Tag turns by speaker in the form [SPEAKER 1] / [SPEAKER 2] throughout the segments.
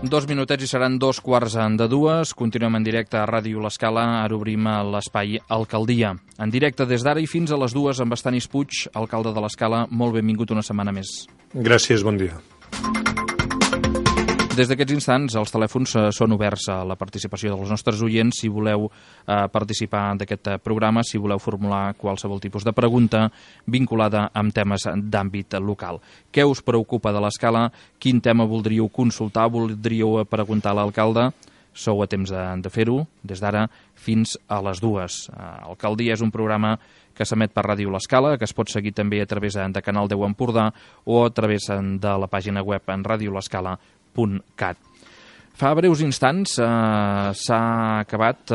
[SPEAKER 1] Dos minutets i seran 2:15. Continuem en directe a Ràdio L'Escala. Ara obrim l'espai Alcaldia. En directe des d'ara i fins a les 2 amb Estanis Puig, alcalde de L'Escala. Molt benvingut una setmana més.
[SPEAKER 2] Gràcies, bon dia.
[SPEAKER 1] Des d'aquests instants, els telèfons són oberts a la participació dels nostres oients. Si voleu participar d'aquest programa, si voleu formular qualsevol tipus de pregunta vinculada amb temes d'àmbit local. Què us preocupa de l'Escala? Quin tema voldríeu consultar? Voldríeu preguntar a l'alcalde? Sou a temps de fer-ho, des d'ara fins a les 2. Alcaldia és un programa que s'emet per Ràdio L'Escala, que es pot seguir també a través de Canal 10 Empordà o a través de la pàgina web en radiolescala.cat. Fa breus instants s'ha acabat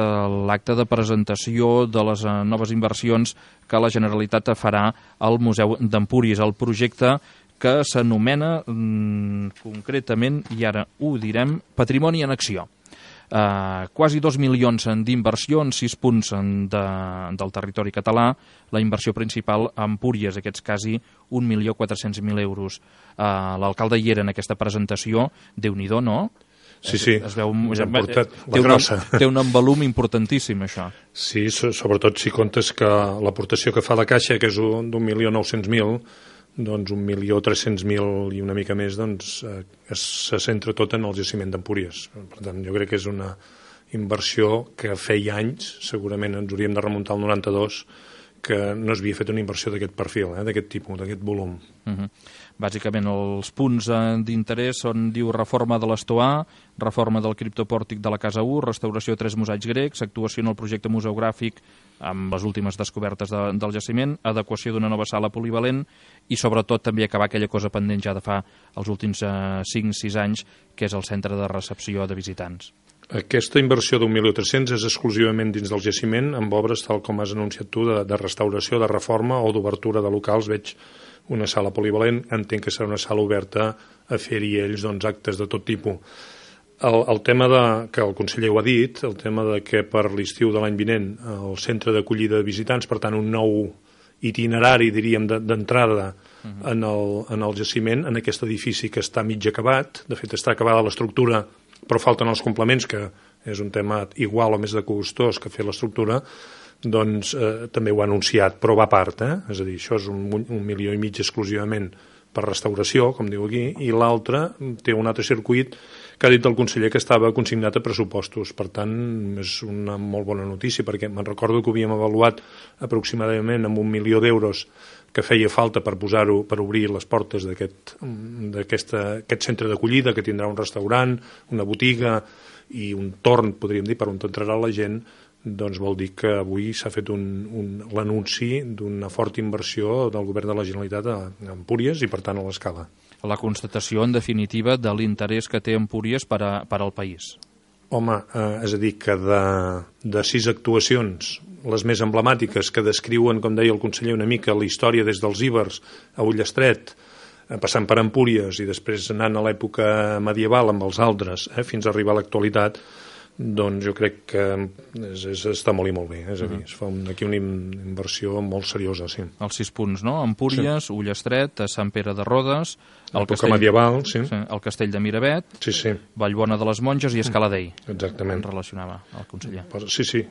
[SPEAKER 1] l'acte de presentació de les noves inversions que la Generalitat farà al Museu d'Empúries, el projecte que s'anomena concretament, i ara ho direm, Patrimoni en Acció. Quasi 2 milions d'inversió en 6 punts del territori català. La inversió principal a Empúries, aquests quasi 1.400.000 euros. L'alcalde hi era en aquesta presentació. Déu-n'hi-do, no?
[SPEAKER 2] Sí, es veu, ja hem portat la grossa.
[SPEAKER 1] Té un volum importantíssim, això.
[SPEAKER 2] Sí, sobretot si comptes que l'aportació que fa la Caixa, que és d'1.900.000, doncs 1.300.000 i una mica més, doncs se centra tot en el jaciment d'Empúries. Per tant, jo crec que és una inversió que feia anys, segurament ens hauríem de remuntar al 92, que no s'havia fet una inversió d'aquest perfil, d'aquest tipus, d'aquest volum.
[SPEAKER 1] Bàsicament, els punts d'interès són, diu, reforma de l'Estoà, reforma del criptopòrtic de la Casa 1, restauració de 3 mosaics grecs, actuació en el projecte museogràfic amb les últimes descobertes del jaciment, adequació d'una nova sala polivalent i, sobretot, també acabar aquella cosa pendent ja de fa els últims 5-6 anys, que és el centre de recepció de visitants.
[SPEAKER 2] Aquesta inversió d'1.300.000 és exclusivament dins del jaciment, amb obres, tal com has anunciat tu, de restauració, de reforma o d'obertura de locals. Veig una sala polivalent, entenc que serà una sala oberta a fer-hi ells actes de tot tipus. El tema que el conseller ho ha dit, el tema de que per l'estiu de l'any vinent el centre d'acollida de visitants, per tant un nou itinerari, diríem, d'entrada en el jaciment, en aquest edifici que està mig acabat. De fet, està acabada l'estructura, però falten els complements, que és un tema igual o més de costós que fer l'estructura, doncs també ho ha anunciat, però va a part, és a dir, això és 1,5 milió exclusivament per restauració, com diu aquí, i l'altre té un altre circuit que ha dit el conseller que estava consignat a pressupostos. Per tant, és una molt bona notícia, perquè me'n recordo que ho havíem avaluat aproximadament amb 1 milió d'euros que feia falta per posar-ho, per obrir les portes d'aquest centre d'acollida, que tindrà un restaurant, una botiga i un torn, podríem dir, per on entrarà la gent. Doncs vol dir que avui s'ha fet l'anunci d'una forta inversió del govern de la Generalitat a Empúries i, per tant, a l'Escala.
[SPEAKER 1] La constatació, en definitiva, de l'interès que té Empúries per al país.
[SPEAKER 2] Home, és a dir, que de 6 actuacions, les més emblemàtiques, que descriuen, com deia el conseller, una mica la història des dels Ibers a Ullestret, passant per Empúries i després anant a l'època medieval amb els altres, fins a arribar a l'actualitat, doncs jo crec que està molt i molt bé. És a dir, es fa aquí una inversió molt seriosa, sí.
[SPEAKER 1] Els 6 punts, no? Empúries, sí. Ullestret, Sant Pere de Rodes,
[SPEAKER 2] l'època medieval, sí.
[SPEAKER 1] El Castell de Miravet,
[SPEAKER 2] sí.
[SPEAKER 1] Vallbona de les Monges i Escala d'Ell.
[SPEAKER 2] Exactament.
[SPEAKER 1] En relacionava el conseller.
[SPEAKER 2] Sí.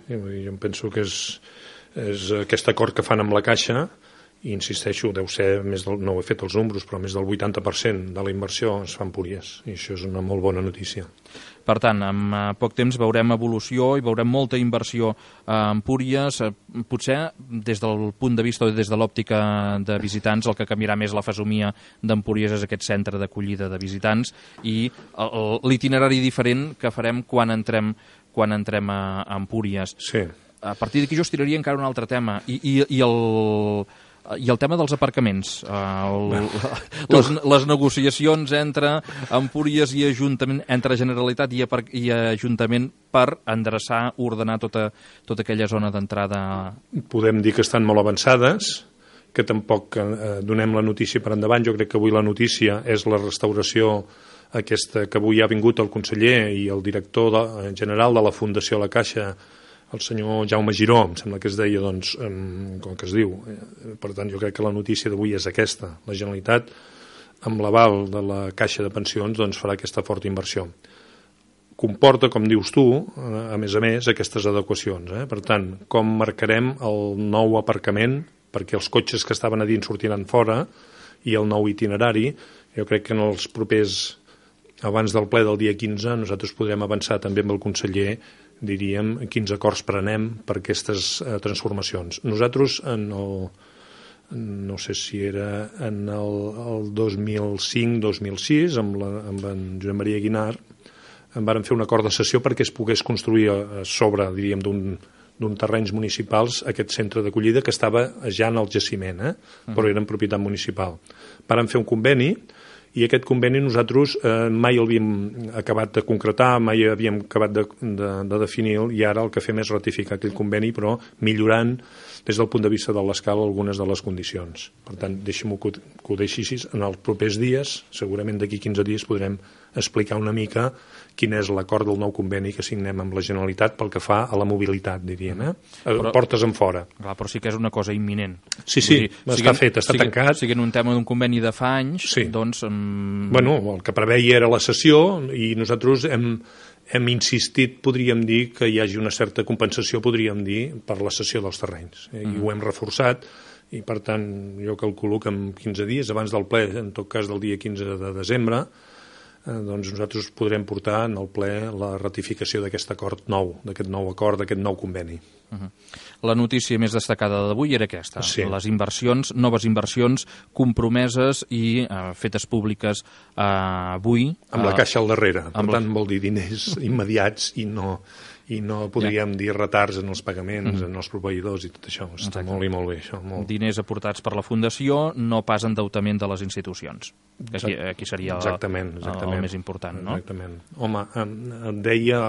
[SPEAKER 2] Jo penso que és aquest acord que fan amb la Caixa, i insisteixo, deu ser, no he fet els números, però més del 80% de la inversió es fa a Empúries, i això és una molt bona notícia.
[SPEAKER 1] Per tant, en poc temps veurem evolució i veurem molta inversió a Empúries. Potser des del punt de vista o des de l'òptica de visitants el que canviarà més la fesomia d'Empúries és aquest centre d'acollida de visitants i l'itinerari diferent que farem quan entrem a Empúries.
[SPEAKER 2] Sí.
[SPEAKER 1] A partir d'aquí jo estiraria encara un altre tema i el tema dels aparcaments, les negociacions entre Empúries i Ajuntament, entre Generalitat i Ajuntament per endreçar, ordenar tota aquella zona d'entrada.
[SPEAKER 2] Podem dir que estan molt avançades, que tampoc donem la notícia per endavant. Jo crec que avui la notícia és la restauració aquesta que avui ha vingut el conseller i el director general de la Fundació La Caixa el senyor Jaume Giró, em sembla que es deia, doncs, com que es diu. Per tant, jo crec que la notícia d'avui és aquesta. La Generalitat, amb l'aval de la Caixa de Pensions, doncs farà aquesta forta inversió. Comporta, com dius tu, a més, aquestes adequacions. Per tant, com marcarem el nou aparcament, perquè els cotxes que estaven a dins sortiran fora, i el nou itinerari, jo crec que en els propers, abans del ple del dia 15, nosaltres podrem avançar també amb el conseller, diríem, quins acords prenem per aquestes transformacions. Nosaltres, no sé si era en el 2005-2006, amb en Josep Maria Guinart, en vàrem fer un acord de cessió perquè es pogués construir a sobre, diríem, d'un terrenys municipals aquest centre d'acollida que estava ja en el jaciment, però era en propietat municipal. Vàrem fer un conveni i aquest conveni nosaltres mai l'havíem acabat de concretar, mai havíem acabat de definir-lo, i ara el que fem és ratificar aquell conveni, però millorant des del punt de vista de l'escala algunes de les condicions. Per tant, deixem-ho que ho deixi així. En els propers dies, segurament d'aquí 15 dies, podrem explicar una mica quin és l'acord del nou conveni que signem amb la Generalitat pel que fa a la mobilitat, diríem, portes en fora.
[SPEAKER 1] Clar, però sí que és una cosa imminent.
[SPEAKER 2] Sí, està fet, està tancat.
[SPEAKER 1] Si en un tema d'un conveni de fa anys, doncs...
[SPEAKER 2] Bueno, el que preveia era la cessió i nosaltres hem insistit, podríem dir, que hi hagi una certa compensació, podríem dir, per la cessió dels terrenys. I ho hem reforçat, i per tant jo calculo que en 15 dies, abans del ple, en tot cas del dia 15 de desembre, doncs nosaltres podrem portar en el ple la ratificació d'aquest acord nou, d'aquest nou acord, d'aquest nou conveni.
[SPEAKER 1] La notícia més destacada d'avui era aquesta, les inversions, noves inversions compromeses i fetes públiques avui.
[SPEAKER 2] Amb la caixa al darrere, per tant vol dir diners immediats i no podríem dir retards en els pagaments, en els proveïdors i tot això. Està molt i molt bé, això.
[SPEAKER 1] Diners aportats per la Fundació, no pas endeutament de les institucions. Aquí seria el més important, no?
[SPEAKER 2] Exactament. Home, em deia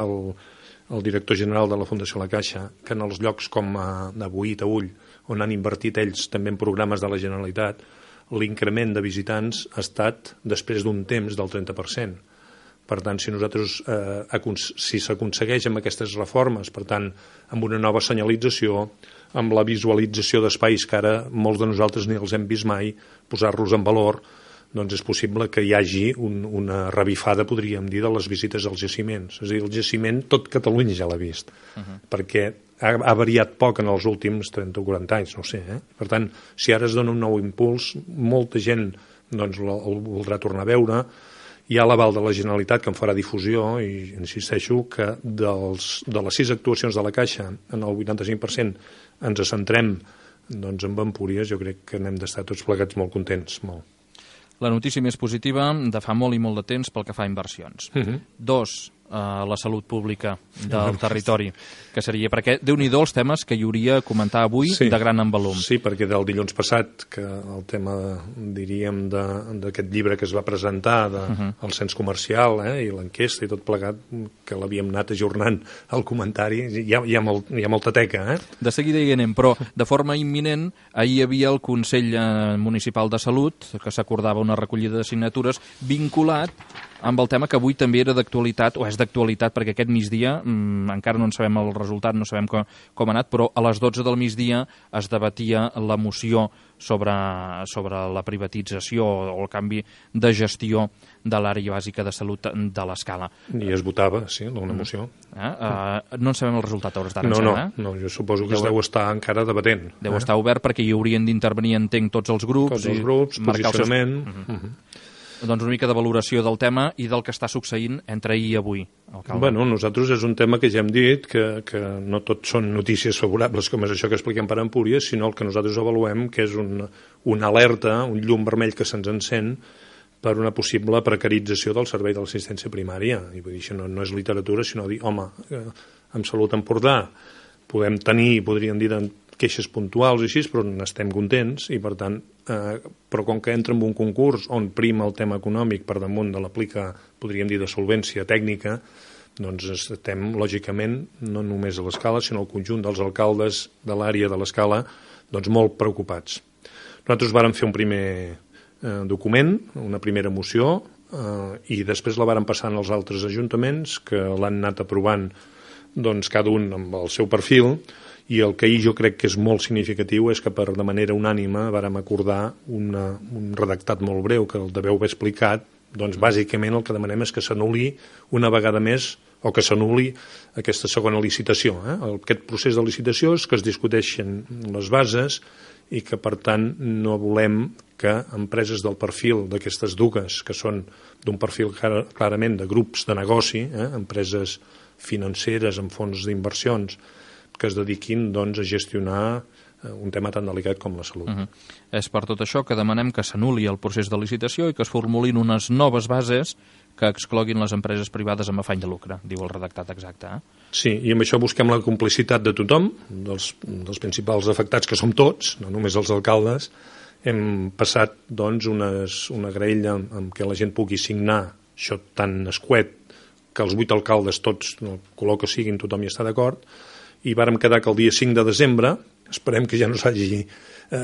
[SPEAKER 2] el director general de la Fundació La Caixa que en els llocs com a Boí, Taüll, on han invertit ells també en programes de la Generalitat, l'increment de visitants ha estat després d'un temps del 30%. Per tant, si s'aconsegueix amb aquestes reformes, per tant, amb una nova senyalització, amb la visualització d'espais que ara molts de nosaltres ni els hem vist mai, posar-los en valor, doncs és possible que hi hagi una revifada, podríem dir, de les visites als jaciments. És a dir, el jaciment tot Catalunya ja l'ha vist, perquè ha variat poc en els últims 30 o 40 anys, no sé. Per tant, si ara es dona un nou impuls, molta gent el voldrà tornar a veure. Hi ha l'aval de la Generalitat que en farà difusió i insisteixo que de les 6 actuacions de la Caixa en el 85% ens centrem en Empúries. Jo crec que n'hem d'estar tots plegats molt contents, molt.
[SPEAKER 1] La notícia més positiva de fa molt i molt de temps pel que fa a inversions. 2, la salut pública del territori, que seria, perquè Déu-n'hi-do els temes que hi hauria a comentar avui de gran envolum.
[SPEAKER 2] Sí, perquè del dilluns passat, que el tema, diríem, d'aquest llibre que es va presentar, del cens comercial i l'enquesta i tot plegat, que l'havíem anat ajornant al comentari, hi ha molta teca.
[SPEAKER 1] De seguida hi anem, però de forma imminent, ahir hi havia el Consell Municipal de Salut, que s'acordava una recollida de signatures vinculat amb el tema que avui també era d'actualitat, o és d'actualitat perquè aquest migdia, encara no en sabem el resultat, no sabem com ha anat, però a les 12 del migdia es debatia la moció sobre la privatització o el canvi de gestió de l'àrea bàsica de salut de l'Escala.
[SPEAKER 2] I es votava, sí, una moció.
[SPEAKER 1] No en sabem el resultat a hores d'ara.
[SPEAKER 2] No, jo suposo que es deu estar encara debatent.
[SPEAKER 1] Deu estar obert perquè hi haurien d'intervenir, entenc, tots els grups.
[SPEAKER 2] Tots els grups, posicionament...
[SPEAKER 1] Doncs una mica de valoració del tema i del que està succeint entre ahir i avui, alcalde.
[SPEAKER 2] Bueno, nosaltres és un tema que ja hem dit que no tot són notícies favorables com és això que expliquem per Empúries, sinó el que nosaltres avaluem que és una alerta, un llum vermell que se'ns encén per una possible precarització del servei de l'assistència primària. I vull dir, això no és literatura, sinó dir, home, amb Salut Empordà podem tenir, podríem dir, queixes puntuals i així, però n'estem contents i per tant, però com que entra en un concurs on prima el tema econòmic per damunt de l'aplica, podríem dir, de solvència tècnica, doncs estem, lògicament, no només a l'Escala, sinó al conjunt dels alcaldes de l'àrea de l'Escala, doncs molt preocupats. Nosaltres vàrem fer un primer document, una primera moció, i després la vàrem passar als altres ajuntaments que l'han anat aprovant doncs cada un amb el seu perfil, i el que jo crec que és molt significatiu és que de manera unànime vàrem acordar un redactat molt breu que el deveu haver explicat. Doncs bàsicament el que demanem és que s'anul·li una vegada més, o que s'anul·li aquesta segona licitació. Aquest procés de licitació és que es discuteixen les bases i que, per tant, no volem que empreses del perfil d'aquestes dues, que són d'un perfil clarament de grups de negoci, empreses financeres amb fons d'inversions, que es dediquin doncs, a gestionar un tema tan delicat com la salut.
[SPEAKER 1] És per tot això que demanem que s'anul·li el procés de licitació i que es formulin unes noves bases que excloguin les empreses privades amb afany de lucre, diu el redactat exacte.
[SPEAKER 2] Sí, i amb això busquem la complicitat de tothom, dels principals afectats, que som tots, no només els alcaldes. Hem passat doncs, una graella amb què la gent pugui signar això tan escuet, que els 8 alcaldes tots, el color que siguin, tothom hi està d'acord, i vàrem quedar que el dia 5 de desembre, esperem que ja no s'hagi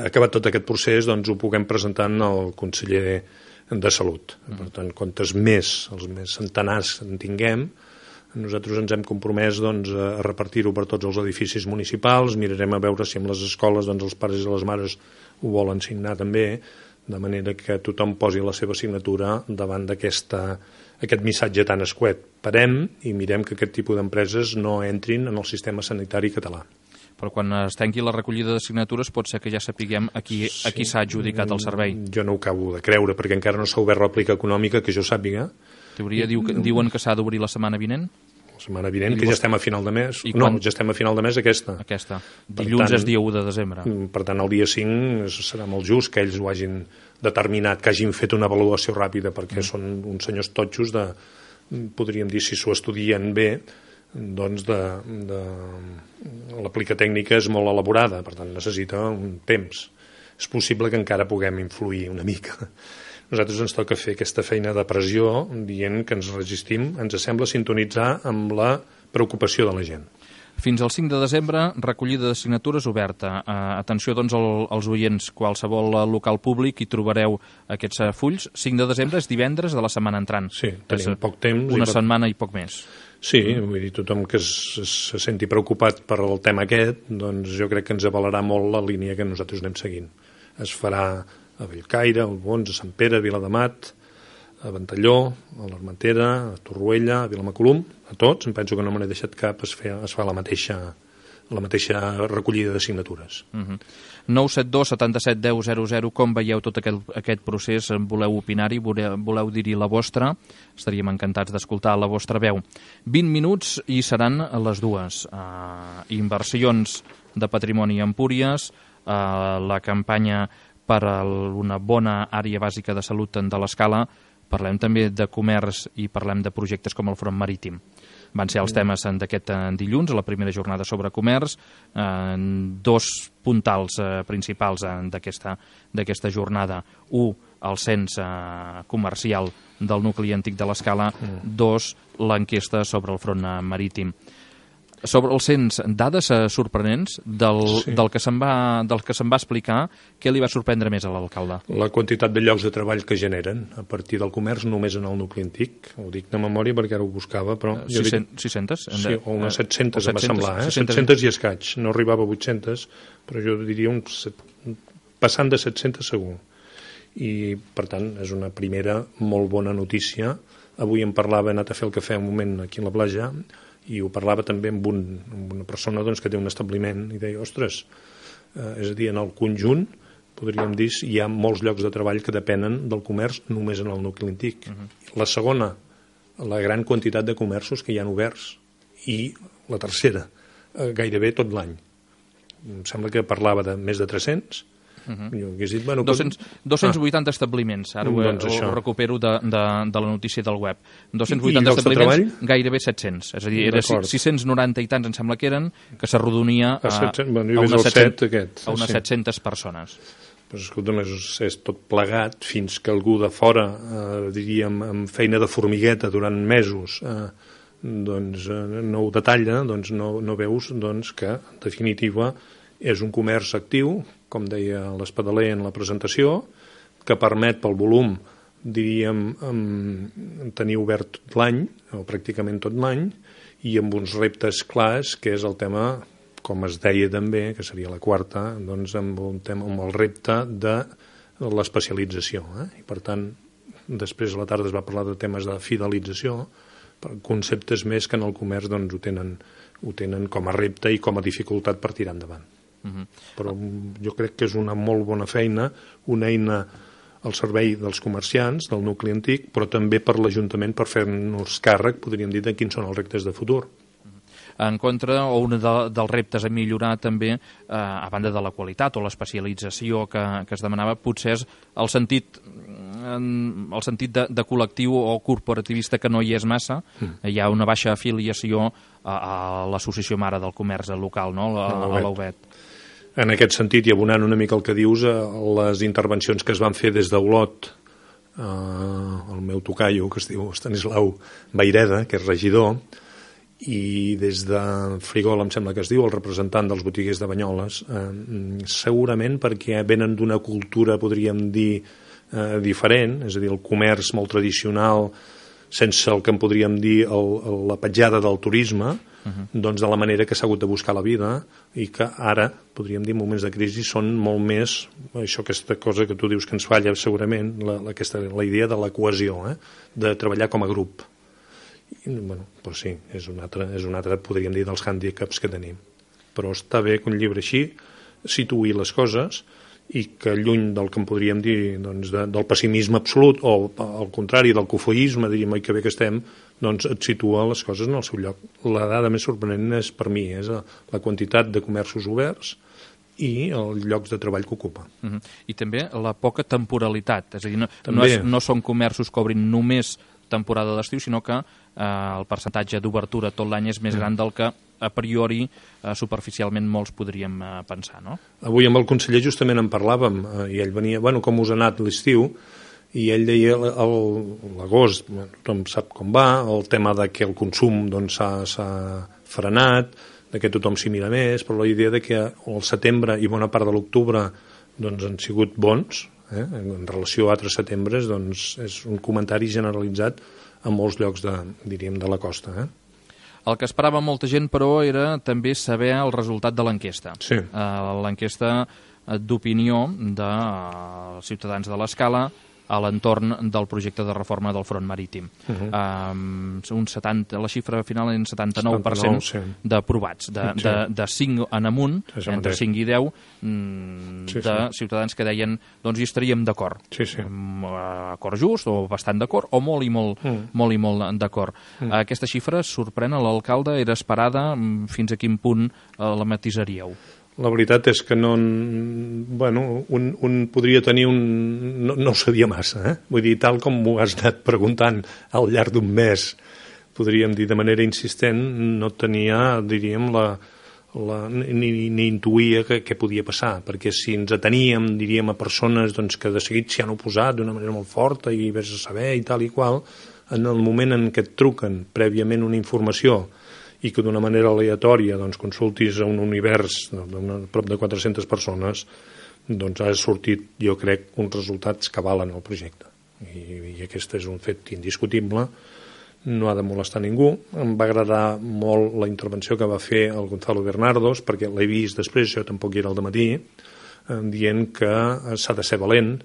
[SPEAKER 2] acabat tot aquest procés, doncs ho puguem presentar al conseller de Salut. Per tant, quantes més, els més centenars en tinguem, nosaltres ens hem compromès doncs, a repartir-ho per tots els edificis municipals, mirarem a veure si amb les escoles doncs, els pares i les mares ho volen signar també, de manera que tothom posi la seva signatura davant d'aquest missatge tan escuet. Parem i mirem que aquest tipus d'empreses no entrin en el sistema sanitari català.
[SPEAKER 1] Però quan es tanqui la recollida de signatures pot ser que ja sapiguem a qui s'ha adjudicat el servei.
[SPEAKER 2] Jo no ho acabo de creure, perquè encara no s'ha obert l'aplicació econòmica, que jo sàpiga.
[SPEAKER 1] Teoria diuen que s'ha d'obrir la setmana vinent?
[SPEAKER 2] La setmana vinent, que ja estem a final de mes. No, ja estem a final de mes aquesta.
[SPEAKER 1] Dilluns és dia 1 de desembre.
[SPEAKER 2] Per tant, el dia 5 serà molt just que ells ho hagin determinat, que hagin fet una avaluació ràpida, perquè són uns senyors totxos podríem dir, si s'ho estudien bé, doncs l'aplicació tècnica és molt elaborada, per tant necessita un temps. És possible que encara puguem influir una mica. Nosaltres ens toca fer aquesta feina de pressió dient que ens resistim, ens sembla sintonitzar amb la preocupació de la gent.
[SPEAKER 1] Fins al 5 de desembre, recollida de signatures oberta. Atenció, doncs, als oients, qualsevol local públic hi trobareu aquests fulls. 5 de desembre és divendres de la setmana entrant.
[SPEAKER 2] Sí, tenim poc temps.
[SPEAKER 1] Una setmana i poc més.
[SPEAKER 2] Sí, vull dir, tothom que se senti preocupat per el tema aquest, doncs jo crec que ens avalarà molt la línia que nosaltres anem seguint. Es farà a Bellcaire, a Albons, a Sant Pere, a Vilademat, a Ventalló, a l'Armentera, a Torroella, a Vilamacolum, a tots, em penso que no me n'he deixat cap, es fa la mateixa recollida de signatures.
[SPEAKER 1] 972 77 10 00, com veieu tot aquest procés? Voleu opinar-hi? Voleu dir-hi la vostra? Estaríem encantats d'escoltar la vostra veu. 20 minuts i seran les dues. Inversions de patrimoni a Empúries, la campanya per a una bona àrea bàsica de salut de l'Escala, parlem també de comerç i parlem de projectes com el Front Marítim. Van ser els temes d'aquest dilluns, a la primera jornada sobre comerç, dos puntals principals d'aquesta jornada. Un, el cens comercial del nucli antic de l'Escala. Dos, l'enquesta sobre el Front Marítim. Sobre el cens, dades sorprenents del que se'n va explicar. Què li va sorprendre més a l'alcalde?
[SPEAKER 2] La quantitat de llocs de treball que generen a partir del comerç només en el nucli antic. Ho dic de memòria perquè ara ho buscava, però...
[SPEAKER 1] 600?
[SPEAKER 2] Sí, o unes 700 em va semblar, 700 i escaig. No arribava a 800, però jo diria passant de 700 segur. I, per tant, és una primera molt bona notícia. Avui em parlava, he anat a fer el cafè un moment aquí a la platja, i ho parlava també amb una persona doncs, que té un establiment i deia, ostres, és a dir, en el conjunt podríem dir hi ha molts llocs de treball que depenen del comerç només en el nucli antic. La segona, la gran quantitat de comerços que hi han oberts, i la tercera, gairebé tot l'any. Em sembla que parlava de més de 300. Jo hagués dit,
[SPEAKER 1] 280 establiments, ara ho recupero de la notícia del web. 280
[SPEAKER 2] I
[SPEAKER 1] establiments, gairebé 700. És a dir, era 690 i tants, em sembla que eren, que s'arrodonia a unes 700 persones.
[SPEAKER 2] Però escolta'm, és tot plegat fins que algú de fora, diríem, amb feina de formigueta durant mesos, doncs no ho detalla, doncs no veus que, en definitiva, és un comerç actiu, com deia l'Espadaler en la presentació, que permet pel volum, diríem, tenir obert tot l'any, o pràcticament tot l'any, i amb uns reptes clars, que és el tema, com es deia també, que seria la quarta, doncs amb el repte de l'especialització. I per tant, després a la tarda es va parlar de temes de fidelització, conceptes més que en el comerç doncs, ho tenen com a repte i com a dificultat per tirar endavant. Però jo crec que és una molt bona feina, una eina al servei dels comerciants, del nucli antic, però també per l'Ajuntament per fer-nos càrrec, podríem dir, de quins són els reptes de futur.
[SPEAKER 1] En contra, o un dels reptes a millorar també, a banda de la qualitat o l'especialització que es demanava, potser és el sentit de col·lectiu o corporativista que no hi és massa. Hi ha una baixa afiliació a l'Associació Mare del Comerç local, no? A l'Auvet.
[SPEAKER 2] En aquest sentit, i abonant una mica el que dius, les intervencions que es van fer des d'Olot, el meu tocaio, que es diu Estanislau Vaireda, que és regidor, i des de Frigol, em sembla que es diu, el representant dels botiguers de Banyoles, segurament perquè venen d'una cultura, podríem dir, diferent, és a dir, el comerç molt tradicional, sense el que en podríem dir la petjada del turisme, doncs de la manera que s'ha hagut de buscar la vida, i que ara, podríem dir, en moments de crisi són molt més, aquesta cosa que tu dius que ens falla segurament, la idea de la cohesió, de treballar com a grup. Bueno, doncs sí, és un altre, podríem dir, dels hàndicaps que tenim. Però està bé que un llibre així situï les coses i que lluny del que en podríem dir doncs, del pessimisme absolut o al contrari del cofoisme, diríem, oi que bé que estem, doncs et situa les coses en el seu lloc. La dada més sorprenent és, per mi, és la quantitat de comerços oberts i els llocs de treball que ocupa.
[SPEAKER 1] I també la poca temporalitat, és a dir, no són comerços que obrin només temporada d'estiu, sinó que el percentatge d'obertura tot l'any és més gran del que a priori, superficialment, molts podríem pensar, no?
[SPEAKER 2] Avui amb el conseller justament en parlàvem, i ell venia, com us ha anat l'estiu, i ell deia l'agost, tothom sap com va, el tema de que el consum s'ha frenat, de que tothom s'hi mira més, però la idea de que el setembre i bona part de l'octubre han sigut bons, en relació a altres setembres, doncs és un comentari generalitzat en molts llocs de la costa.
[SPEAKER 1] El que esperava molta gent, però, era també saber el resultat de l'enquesta.
[SPEAKER 2] Sí.
[SPEAKER 1] L'enquesta d'opinió dels ciutadans de l'Escala a l'entorn del projecte de reforma del front marítim. La xifra final és 79% d'aprovats, de 5 en amunt, entre 5 i 10, de ciutadans que deien doncs hi estaríem d'acord. Acord just, o bastant d'acord, o molt i molt d'acord. Aquesta xifra sorprèn a l'alcalde, era esperada, fins a quin punt la matisaríeu?
[SPEAKER 2] La veritat és que un podria tenir no ho sabia massa, Vull dir, tal com m'ho has anat preguntant al llarg d'un mes, podríem dir de manera insistent, no tenia, diríem, ni intuïa què podia passar, perquè si ens ateníem, diríem, a persones que de seguit s'hi han oposat d'una manera molt forta i vés a saber i tal i qual, en el moment en què et truquen prèviament una informació i que d'una manera aleatòria consultis a un univers de prop de 400 persones, doncs ha sortit, jo crec, uns resultats que valen el projecte. I aquest és un fet indiscutible, no ha de molestar ningú. Em va agradar molt la intervenció que va fer el Gonzalo Bernardos, perquè l'he vist després, jo tampoc hi era al dematí, dient que s'ha de ser valent,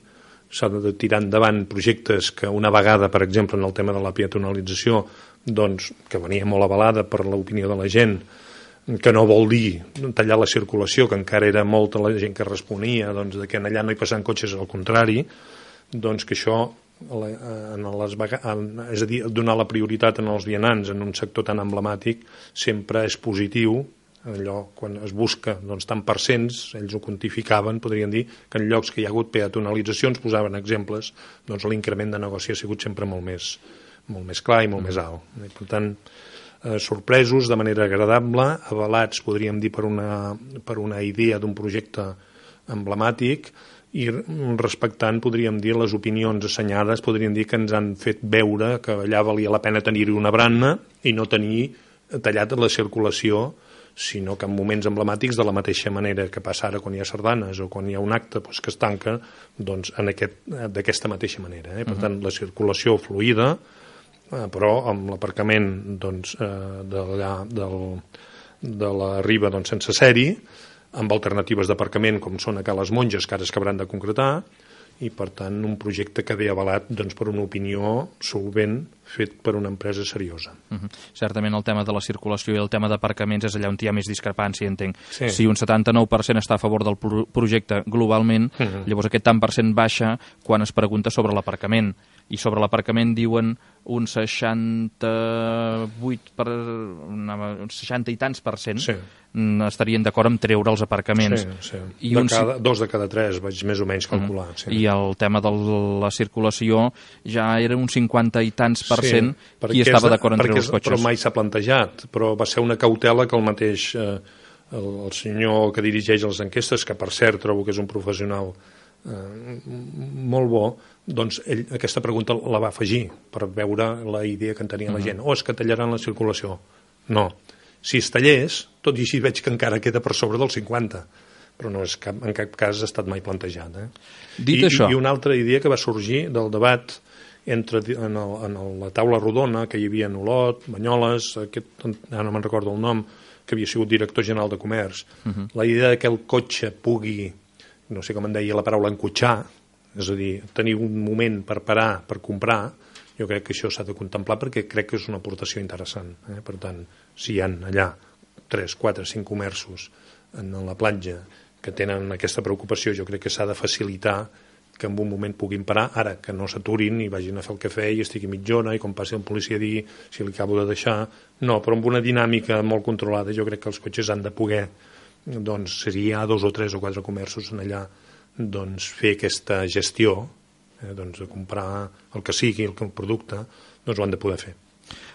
[SPEAKER 2] s'ha de tirar endavant projectes que una vegada, per exemple, en el tema de la peatonalització, doncs, que venia molt avalada per l'opinió de la gent, que no vol dir tallar la circulació, que encara era molta la gent que responia, doncs, de que allà no hi passaven cotxes, al contrari, doncs que això, és a dir, donar la prioritat als vianants en un sector tan emblemàtic, sempre és positiu. Allò, quan es busca tant per cents, ells ho quantificaven, podrien dir que en llocs que hi ha hagut peatonalitzacions, posaven exemples, doncs l'increment de negoci ha sigut sempre molt més clar i molt més alt. I, per tant, sorpresos de manera agradable, avalats, podríem dir, per una idea d'un projecte emblemàtic i respectant, podríem dir, les opinions assenyades, podríem dir que ens han fet veure que allà valia la pena tenir-hi una brana i no tenir tallat la circulació, sinó que en moments emblemàtics, de la mateixa manera que passa ara quan hi ha sardanes o quan hi ha un acte que es tanca, doncs d'aquesta mateixa manera. Per tant, la circulació fluida però amb l'aparcament doncs, de la Riba sense ser-hi, amb alternatives d'aparcament com són a Cales Monges, que ara es acabaran de concretar, i per tant un projecte que ve avalat per una opinió solvent fet per una empresa seriosa.
[SPEAKER 1] Certament el tema de la circulació i el tema d'aparcaments és allà on hi ha més discrepància, entenc.
[SPEAKER 2] Sí.
[SPEAKER 1] Si un 79% està a favor del projecte globalment, llavors aquest tant per cent baixa quan es pregunta sobre l'aparcament. I sobre l'aparcament diuen un 60 i tants per cent estarien d'acord amb treure els aparcaments.
[SPEAKER 2] Sí. Dos de cada tres vaig més o menys calcular. Sí.
[SPEAKER 1] I el tema de la circulació ja era un 50 i tants per cent qui estava d'acord en treure els cotxes.
[SPEAKER 2] Però mai s'ha plantejat, però va ser una cautela que el mateix el senyor que dirigeix les enquestes, que per cert trobo que és un professional molt bo, doncs ell aquesta pregunta la va afegir per veure la idea que en tenia la gent. Es que tallaran la circulació. No. Si es tallés, tot i així veig que encara queda per sobre del 50, però no és en cap cas ha estat mai plantejat.
[SPEAKER 1] Dit això...
[SPEAKER 2] I una altra idea que va sorgir del debat en la taula rodona que hi havia en Olot, Banyoles, ara no me'n recordo el nom, que havia sigut director general de Comerç, la idea que el cotxe pugui, no sé com en deia la paraula, encotxar, és a dir, tenir un moment per parar, per comprar, jo crec que això s'ha de contemplar perquè crec que és una aportació interessant. Per tant, si hi ha allà 3, 4, 5 comerços en la platja que tenen aquesta preocupació, jo crec que s'ha de facilitar que en un moment puguin parar, ara que no s'aturin i vagin a fer el cafè i estigui mitja hora i com passi el policia a dir si li acabo de deixar, no, però amb una dinàmica molt controlada jo crec que els cotxes han de poder, doncs seria 2 o 3 o 4 comerços en allà, doncs fer aquesta gestió, doncs de comprar el que sigui, el producte, doncs ho han de poder fer.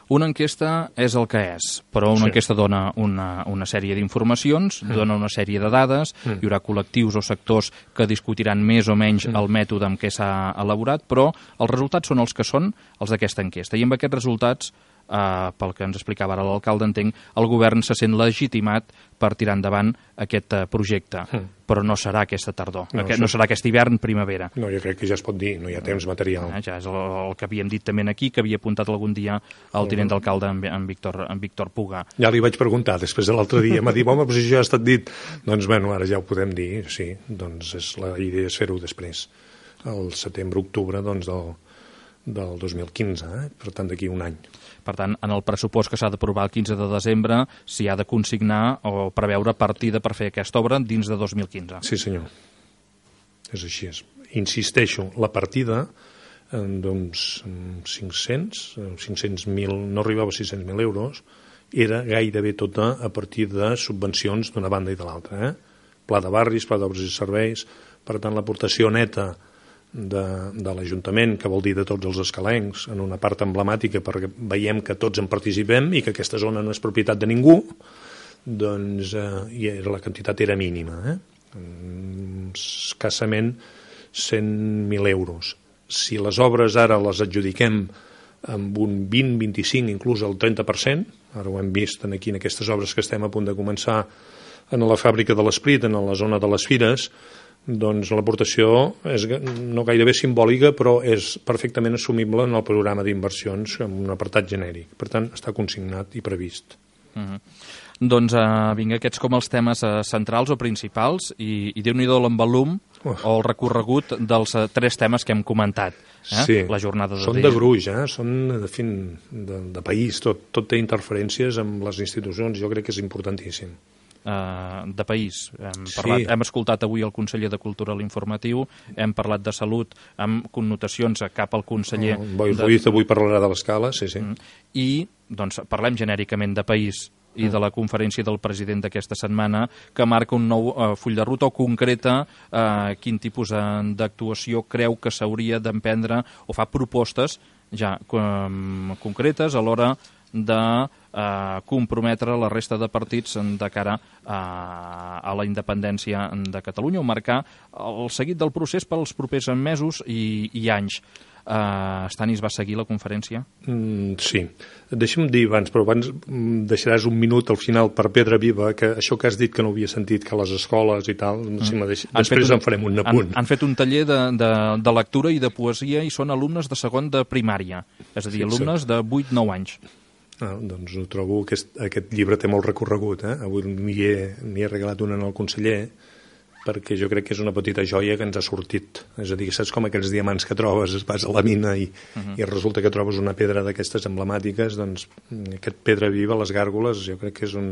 [SPEAKER 1] Una enquesta és el que és, però una enquesta dona una sèrie d'informacions, dona una sèrie de dades, hi haurà col·lectius o sectors que discutiran més o menys el mètode amb què s'ha elaborat, però els resultats són els que són els d'aquesta enquesta. I amb aquests resultats, pel que ens explicava ara l'alcalde, entenc, el govern se sent legitimat per tirar endavant aquest projecte, però no serà aquesta tardor, no serà aquest hivern-primavera.
[SPEAKER 2] No, jo crec que ja es pot dir, no hi ha temps material.
[SPEAKER 1] Ja és el que havíem dit també aquí, que havia apuntat algun dia el tinent d'alcalde, en Víctor Puga.
[SPEAKER 2] Ja li vaig preguntar, després de l'altre dia, m'ha dit, home, però si això ja ha estat dit. Doncs, bueno, ara ja ho podem dir, sí, doncs la idea és fer-ho després, el setembre-octubre, doncs, del 2015, per tant, d'aquí un any.
[SPEAKER 1] Per tant, en el pressupost que s'ha d'aprovar el 15 de desembre s'hi ha de consignar o preveure partida per fer aquesta obra dins de 2015.
[SPEAKER 2] Sí, senyor. És així. Insisteixo, la partida d'uns 500.000, no arribava a 600.000 euros, era gairebé tota a partir de subvencions d'una banda i de l'altra. Pla de barris, pla d'obres i serveis, per tant, l'aportació neta de l'Ajuntament, que vol dir de tots els escalencs, en una part emblemàtica perquè veiem que tots en participem i que aquesta zona no és propietat de ningú, doncs la quantitat era mínima, escassament 100.000 euros. Si les obres ara les adjudiquem amb un 20, 25, inclús el 30%, ara ho hem vist aquí en aquestes obres que estem a punt de començar en la fàbrica de l'Esprit, en la zona de les Fires, doncs l'aportació és no gairebé simbòlica, però és perfectament assumible en el programa d'inversions amb un apartat genèric. Per tant, està consignat i previst.
[SPEAKER 1] Doncs vinga, aquests com els temes centrals o principals i Déu-n'hi-do l'envolum o el recorregut dels 3 temes que hem comentat.
[SPEAKER 2] Sí,
[SPEAKER 1] la jornada
[SPEAKER 2] són de gruix, són de país, tot té interferències amb les institucions, jo crec que és importantíssim.
[SPEAKER 1] De país. Hem escoltat avui el conseller de Cultura a l'informatiu, hem parlat de salut amb connotacions cap al conseller...
[SPEAKER 2] Boi Ruiz avui parlarà de l'escala, sí.
[SPEAKER 1] I doncs parlem genèricament de país i de la conferència del president d'aquesta setmana que marca un nou full de ruta o concreta quin tipus d'actuació creu que s'hauria d'emprendre o fa propostes ja concretes a l'hora de comprometre la resta de partits de cara a la independència de Catalunya o marcar el seguit del procés pels propers mesos i anys. Stanis va seguir la conferència?
[SPEAKER 2] Sí. Deixa'm dir abans, però abans deixaràs un minut al final per Pedra Viva, que això que has dit que no havia sentit, que a les escoles i tal, després en farem un apunt.
[SPEAKER 1] Han fet un taller de lectura i de poesia i són alumnes de segon de primària, és a dir, alumnes de 8-9 anys.
[SPEAKER 2] Doncs ho trobo, aquest llibre té molt recorregut. Avui n'hi he regalat un al conseller, perquè jo crec que és una petita joia que ens ha sortit. És a dir, saps com aquells diamants que trobes, vas a la mina i resulta que trobes una pedra d'aquestes emblemàtiques, doncs aquest Pedra Viva, les gàrgoles, jo crec que és un...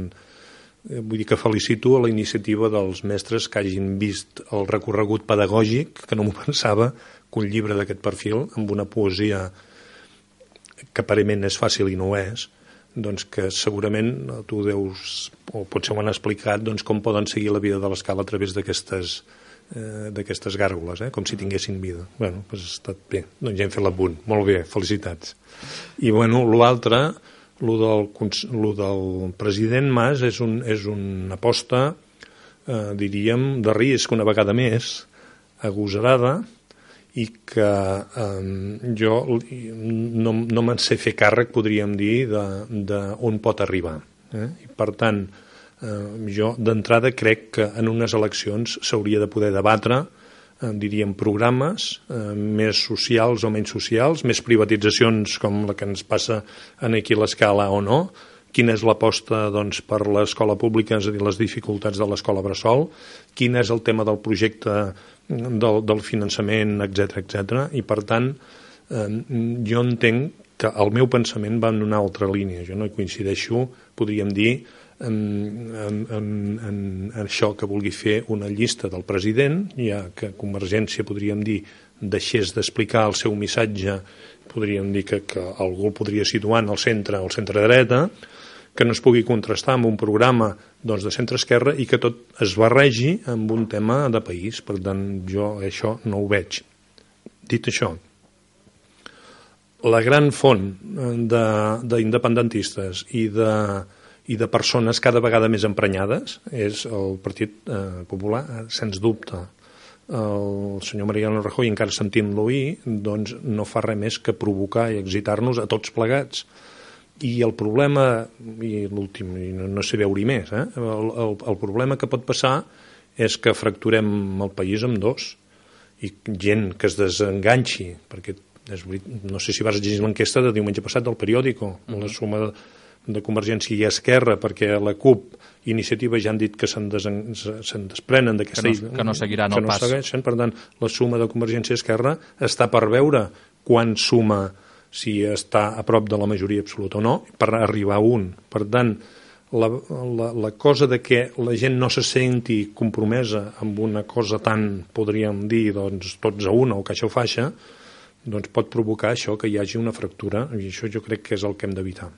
[SPEAKER 2] Vull dir que felicito a la iniciativa dels mestres que hagin vist el recorregut pedagògic, que no m'ho pensava, que un llibre d'aquest perfil, amb una poesia que aparentment és fàcil i no ho és, doncs que segurament tu deus, o potser ho han explicat, doncs com poden seguir la vida de l'escala a través d'aquestes gàrgoles, com si tinguessin vida. Bueno, doncs ha estat bé, doncs ja hem fet l'apunt. Molt bé, felicitats. I bueno, l'altre, lo del president Mas és una aposta, diríem, de risc una vegada més, agosarada, i que jo no me'n sé fer càrrec, podríem dir, d'on pot arribar. I per tant, jo d'entrada crec que en unes eleccions s'hauria de poder debatre, diríem, programes més socials o menys socials, més privatitzacions com la que ens passa aquí a l'escala o no, quina és l'aposta doncs, per l'escola pública, és a dir, les dificultats de l'escola bressol, quin és el tema del projecte del finançament, etc. I per tant, jo entenc que el meu pensament va en una altra línia. Jo no hi coincideixo, podríem dir, en això que vulgui fer una llista del president, ja que Convergència, podríem dir, deixés d'explicar el seu missatge, podríem dir que algú el podria situar en el centre dreta, que no es pugui contrastar amb un programa doncs, de centre-esquerra i que tot es barregi amb un tema de país. Per tant, jo això no ho veig. Dit això, la gran font d'independentistes i de persones cada vegada més emprenyades és el Partit Popular, sens dubte. El senyor Mariano Rajoy, encara sentint-lo ahir, doncs no fa res més que provocar i excitar-nos a tots plegats. I el problema, i l'últim, no sé veure-hi més, el problema que pot passar és que fracturem el país en dos, i gent que es desenganxi, perquè no sé si vas llegir l'enquesta de diumenge passat del periòdico, la suma de Convergència i Esquerra, perquè la CUP i Iniciativa ja han dit que se'n desprenen d'aquesta...
[SPEAKER 1] Que no seguiran el pas.
[SPEAKER 2] Segueixen, per tant, la suma de Convergència i Esquerra està per veure quan suma, si està a prop de la majoria absoluta o no, per arribar a un. Per tant, la cosa de que la gent no se senti compromesa amb una cosa tan, podríem dir, doncs, tots a una o caixa o faixa, doncs pot provocar això, que hi hagi una fractura, i això jo crec que és el que hem d'evitar.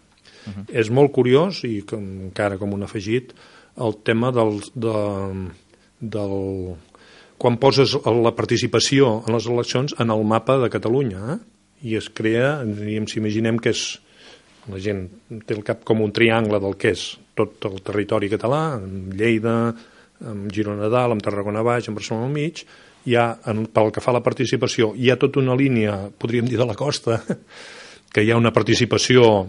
[SPEAKER 2] És molt curiós, i encara com un afegit, el tema quan poses la participació en les eleccions en el mapa de Catalunya, i es crea, si imaginem que és, la gent té el cap com un triangle del que és tot el territori català, amb Lleida, amb Girona Dalt, amb Tarragona Baix, amb Barcelona al mig, pel que fa a la participació, hi ha tota una línia, podríem dir, de la costa, que hi ha una participació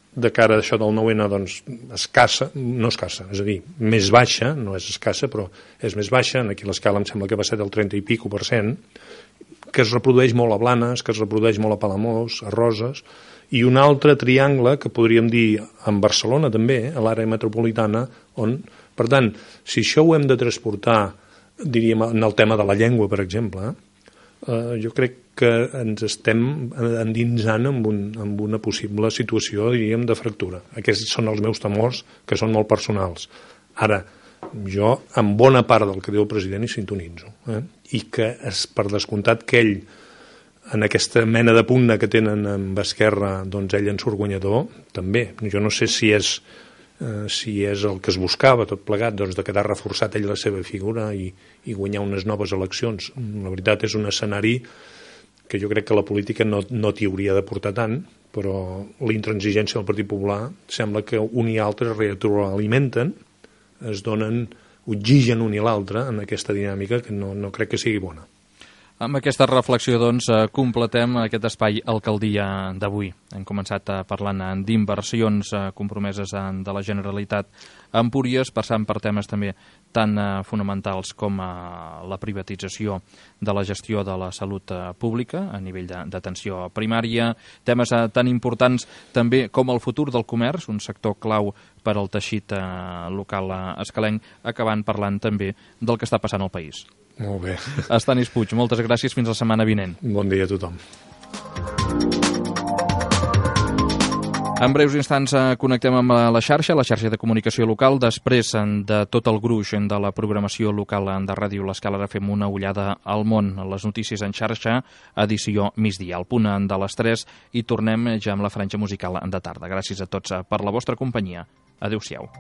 [SPEAKER 2] de cara a això del 9-N, doncs, escassa, no escassa, és a dir, més baixa, no és escassa, però és més baixa, aquí l'escala em sembla que va ser del 30 i pico %, que es reprodueix molt a Blanes, que es reprodueix molt a Palamós, a Roses, i un altre triangle que podríem dir en Barcelona també, a l'àrea metropolitana, on, per tant, si això ho hem de transportar, diríem, en el tema de la llengua, per exemple, jo crec que ens estem endinsant en una possible situació, diríem, de fractura. Aquests són els meus temors, que són molt personals. Ara, jo, en bona part del que diu el president, hi sintonitzo. I que, per descomptat, que ell, en aquesta mena de pugna que tenen amb Esquerra, doncs ell en surt guanyador, també. Jo no sé si és el que es buscava, tot plegat, doncs de quedar reforçat ell la seva figura i guanyar unes noves eleccions. La veritat és un escenari que jo crec que la política no t'hi hauria de portar tant, però la intransigència del Partit Popular sembla que un i altre retroalimenten, es donen oxigen un i l'altre en aquesta dinàmica que no crec que sigui bona.
[SPEAKER 1] Amb aquesta reflexió, doncs, completem aquest espai Alcaldia d'avui. Hem començat parlant d'inversions compromeses de la Generalitat a Empúries, passant per temes també tan fonamentals com la privatització de la gestió de la salut pública a nivell d'atenció primària, temes tan importants també com el futur del comerç, un sector clau per al teixit local escalenc, acabant parlant també del que està passant al país.
[SPEAKER 2] Molt bé.
[SPEAKER 1] Estanis Puig, moltes gràcies, fins la setmana vinent.
[SPEAKER 2] Bon dia a tothom.
[SPEAKER 1] En breus instants connectem amb la xarxa de comunicació local. Després de tot el gruix de la programació local de Ràdio l'Escala, fem una ullada al món. Les notícies en xarxa, edició migdia, al punt de les 3, i tornem ja amb la franja musical de tarda. Gràcies a tots per la vostra companyia. Adéu-siau.